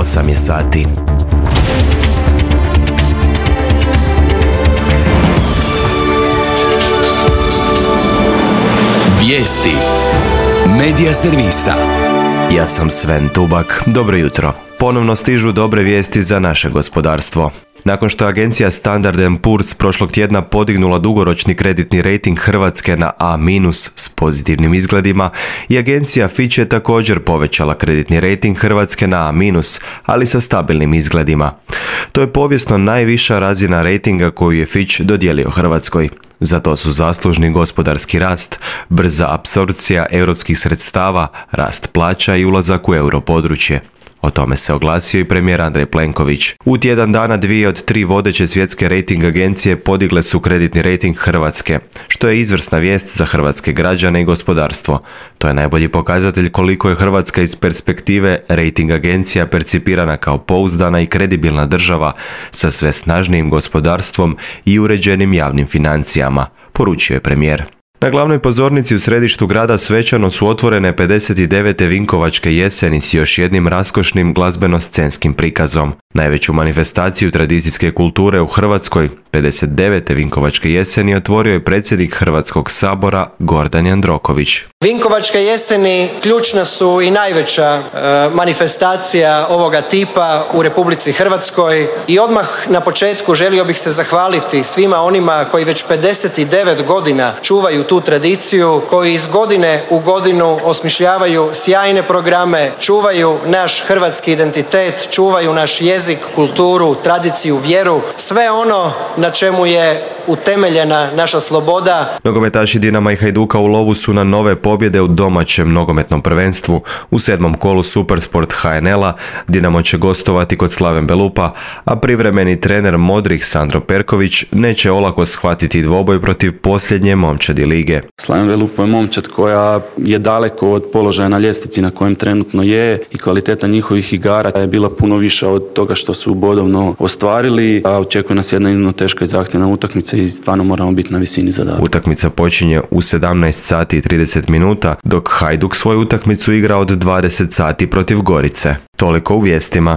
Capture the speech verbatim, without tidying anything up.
osam je sati. Vijesti Medija servisa. Ja sam Sven Tubak. Dobro jutro. Ponovno stižu dobre vijesti za naše gospodarstvo. Nakon što je agencija Standard and Poor's prošlog tjedna podignula dugoročni kreditni rejting Hrvatske na A minus s pozitivnim izgledima, i agencija Fitch je također povećala kreditni rejting Hrvatske na A minus, ali sa stabilnim izgledima. To je povijesno najviša razina rejtinga koju je Fitch dodijelio Hrvatskoj. Za to su zaslužni gospodarski rast, brza apsorpcija europskih sredstava, rast plaća i ulazak u europodručje. O tome se oglasio i premijer Andrej Plenković. U tjedan dana dvije od tri vodeće svjetske rejting agencije podigle su kreditni rejting Hrvatske, što je izvrsna vijest za hrvatske građane i gospodarstvo. To je najbolji pokazatelj koliko je Hrvatska iz perspektive rejting agencija percipirana kao pouzdana i kredibilna država sa sve snažnijim gospodarstvom i uređenim javnim financijama, poručio je premijer. Na glavnoj pozornici u središtu grada svečano su otvorene pedeset devete Vinkovačke jeseni s još jednim raskošnim glazbeno-scenskim prikazom. Najveću manifestaciju tradicijske kulture u Hrvatskoj, pedeset devete Vinkovačke jeseni, otvorio je predsjednik Hrvatskog sabora Gordan Jandroković. Vinkovačke jeseni ključna su i najveća e, manifestacija ovoga tipa u Republici Hrvatskoj i odmah na početku želio bih se zahvaliti svima onima koji već pedeset devet godina čuvaju tu tradiciju, koji iz godine u godinu osmišljavaju sjajne programe, čuvaju naš hrvatski identitet, čuvaju naš jezik, kulturu, tradiciju, vjeru, sve ono na čemu je utemeljena naša sloboda. Nogometaši Dinama i Hajduka u lovu su na nove pobjede u domaćem nogometnom prvenstvu. U sedmom kolu Supersport H N L-a Dinamo će gostovati kod Slaven Belupa, a privremeni trener Modrih Sandro Perković neće olako shvatiti dvoboj protiv posljednje momčadi lige. Slaven Belupa je momčad koja je daleko od položaja na ljestvici na kojem trenutno je i kvaliteta njihovih igara je bila puno više od toga što su bodovno ostvarili, a očekuje nas jedna iznimno teška i zahtjevna utakmica i stvarno moramo biti na visini zadatka. Utakmica počinje u sedamnaest sati i trideset minuta, dok Hajduk svoju utakmicu igra od dvadeset sati protiv Gorice. Toliko u vijestima.